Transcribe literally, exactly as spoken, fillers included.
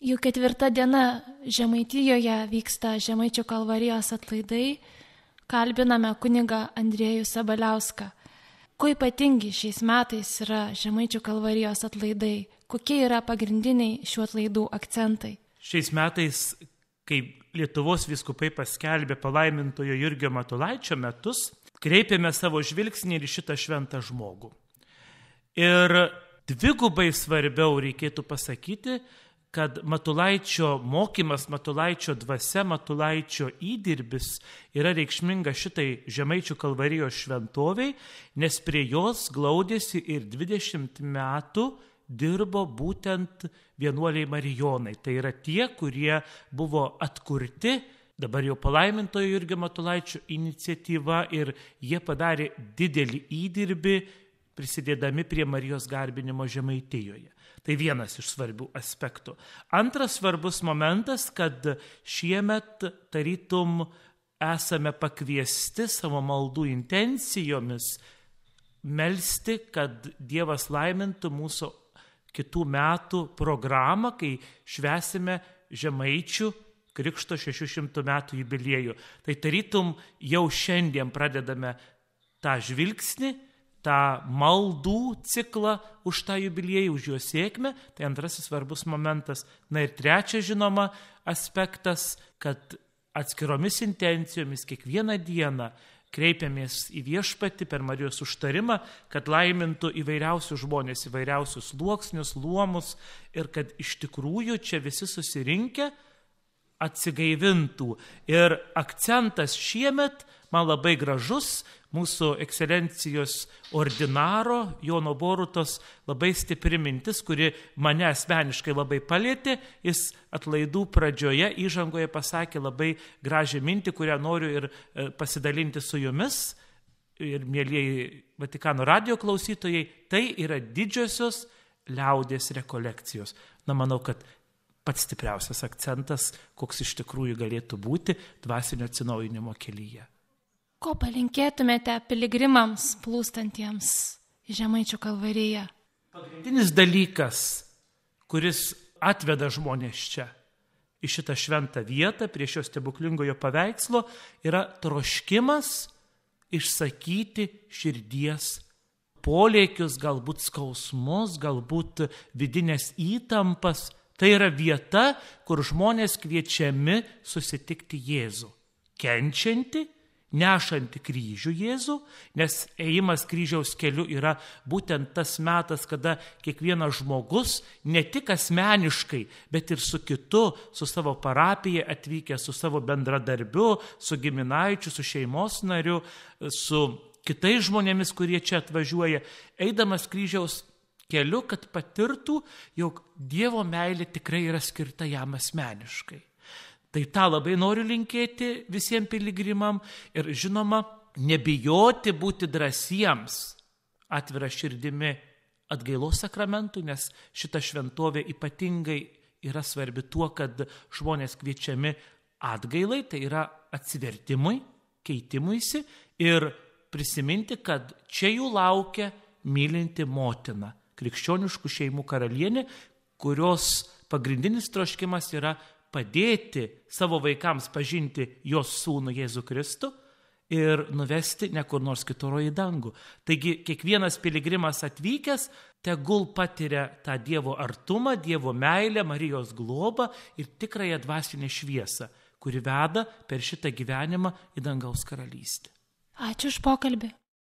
Jau ketvirta diena Žemaitijoje vyksta Žemaičių kalvarijos atlaidai. Kalbiname kunigą Andriejų Sabaliauską. Kuo ypatingi šiais metais yra Žemaičių kalvarijos atlaidai? Kokie yra pagrindiniai šių atlaidų akcentai? Šiais metais, kai Lietuvos vyskupai paskelbė palaimintojo Jurgio Matulaičio metus, kreipėme savo žvilgsnį ir šitą šventą žmogų. Ir dvigubai svarbiau reikėtų pasakyti, kad Matulaičio mokymas, Matulaičio dvasia, Matulaičio įdirbis yra reikšminga šitai Žemaičių kalvarijos šventoviai, nes prie jos glaudėsi ir dvidešimt metų dirbo būtent vienuoliai marijonai. Tai yra tie, kurie buvo atkurti, dabar jau palaimintojo Jurgio Matulaičio iniciatyva, ir jie padarė didelį įdirbį, prisidėdami prie Marijos garbinimo Žemaitijoje. Tai vienas iš svarbių aspektų. Antras svarbus momentas, kad šiemet tarytum esame pakviesti savo maldų intencijomis melsti, kad Dievas laimintų mūsų kitų metų programą, kai švęsime Žemaičių Krikšto šešių šimtų metų jubiliejų. Tai tarytum jau šiandien pradedame tą žvilgsnį, tą maldų ciklą už tą jubiliejų, už jo sėkmę. Tai antrasis svarbus momentas. Na ir trečias, žinoma, aspektas, kad atskiromis intencijomis kiekvieną dieną kreipiamės į Viešpatį per Marijos užtarimą, kad laimintų įvairiausius žmonės, įvairiausius sluoksnius, luomus, ir kad iš tikrųjų čia visi susirinkę atsigaivintų. Ir akcentas šiemet man labai gražus, mūsų ekscelencijos ordinaro Jono Borutos labai stipri mintis, kuri mane asmeniškai labai palėtė. Jis atlaidų pradžioje, įžangoje pasakė labai gražią mintį, kurią noriu ir pasidalinti su jumis. Ir mielieji Vatikano radijo klausytojai, tai yra didžiosios liaudies rekolekcijos. Na, manau, kad pats stipriausias akcentas, koks iš tikrųjų galėtų būti dvasinio atsinaujinimo kelyje. Ko palinkėtumėte piligrimams plūstantiems į Žemaičių kalvariją? Pagrindinis dalykas, kuris atveda žmonės čia, į šitą šventą vietą, prie šio stebuklingojo paveikslo, yra troškimas išsakyti širdies polėkius, galbūt skausmus, galbūt vidinės įtampas. Tai yra vieta, kur žmonės kviečiami susitikti Jėzų, kenčianti, nešanti kryžių Jėzų, nes ėjimas kryžiaus keliu yra būtent tas metas, kada kiekvienas žmogus ne tik asmeniškai, bet ir su kitu, su savo parapija atvykęs, su savo bendradarbiu, su giminaičiu, su šeimos nariu, su kitais žmonėmis, kurie čia atvažiuoja, eidamas kryžiaus keliu, kad patirtų, jog Dievo meilė tikrai yra skirta jam asmeniškai. Tai tą labai noriu linkėti visiems piligrimam ir, žinoma, nebijoti būti drąsiems atvira širdimi atgailos sakramentų, nes šita šventovė ypatingai yra svarbi tuo, kad žmonės kviečiami atgailai, tai yra atsivertimui, keitimuisi, ir prisiminti, kad čia jų laukia mylinti motina, krikščioniškų šeimų karalienė, kurios pagrindinis troškimas yra padėti savo vaikams pažinti jos sūnų Jėzų Kristų ir nuvesti ne kur nors kitur į dangų. Taigi kiekvienas piligrimas atvykęs tegul patiria tą Dievo artumą, Dievo meilę, Marijos globą ir tikrąją dvasinę šviesą, kuri veda per šitą gyvenimą į dangaus karalystę. Ačiū už pokalbį.